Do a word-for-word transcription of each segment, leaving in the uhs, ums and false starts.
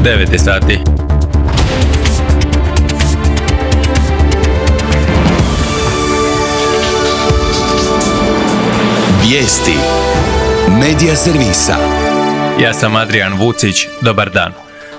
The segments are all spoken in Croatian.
devet je sati. Vijesti Medija servisa. Ja sam Adrijan Vucić, dobar dan.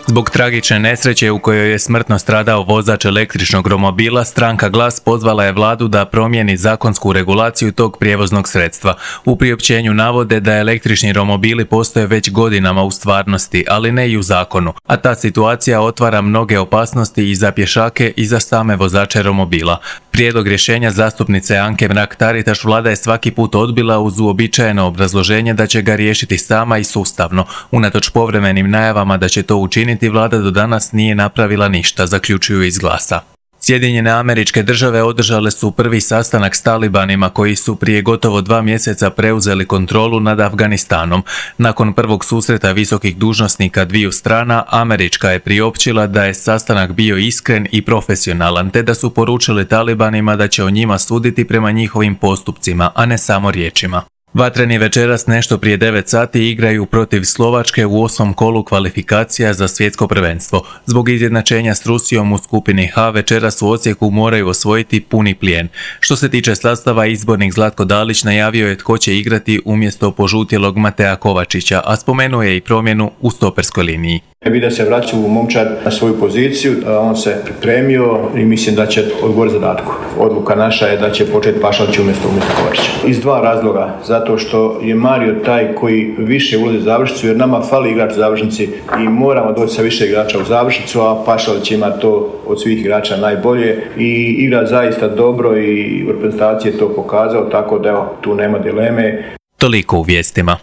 Zbog tragične nesreće u kojoj je smrtno stradao vozač električnog romobila, stranka Glas pozvala je vladu da promijeni zakonsku regulaciju tog prijevoznog sredstva. U priopćenju navode da električni romobili postoje već godinama u stvarnosti, ali ne i u zakonu, a ta situacija otvara mnoge opasnosti i za pješake i za same vozače romobila. Prijedlog rješenja zastupnice Anke Mrak-Taritaš vlada je svaki put odbila uz uobičajeno obrazloženje da će ga riješiti sama i sustavno. Unatoč povremenim najavama da će to učiniti, vlada do danas nije napravila ništa, zaključuju iz Glasa. Sjedinjene Američke Države održale su prvi sastanak s talibanima koji su prije gotovo dva mjeseca preuzeli kontrolu nad Afganistanom. Nakon prvog susreta visokih dužnosnika dviju strana, američka je priopćila da je sastanak bio iskren i profesionalan, te da su poručili talibanima da će o njima suditi prema njihovim postupcima, a ne samo riječima. Vatreni večeras nešto prije devet sati igraju protiv Slovačke u osmom kolu kvalifikacija za svjetsko prvenstvo. Zbog izjednačenja s Rusijom u skupini H večeras u Osijeku moraju osvojiti puni plijen. Što se tiče sastava, izbornik Zlatko Dalić najavio je tko će igrati umjesto požutjelog Matea Kovačića, a spomenuo je i promjenu u stoperskoj liniji. Vidi da se vraća u momčad na svoju poziciju, on se pripremio i mislim da će odgovoriti zadatku. Odluka naša je da će početi Pašalić umjesto umjesto Kovačića. Iz dva razloga, zato što je Mario taj koji više ulazi u završnicu, jer nama fali igrač u završnici i moramo doći sa više igrača u završnicu, a Pašalić ima to od svih igrača najbolje i igra zaista dobro i u reprezentaciji je to pokazao, tako da evo, tu nema dileme. Toliko u vijestima.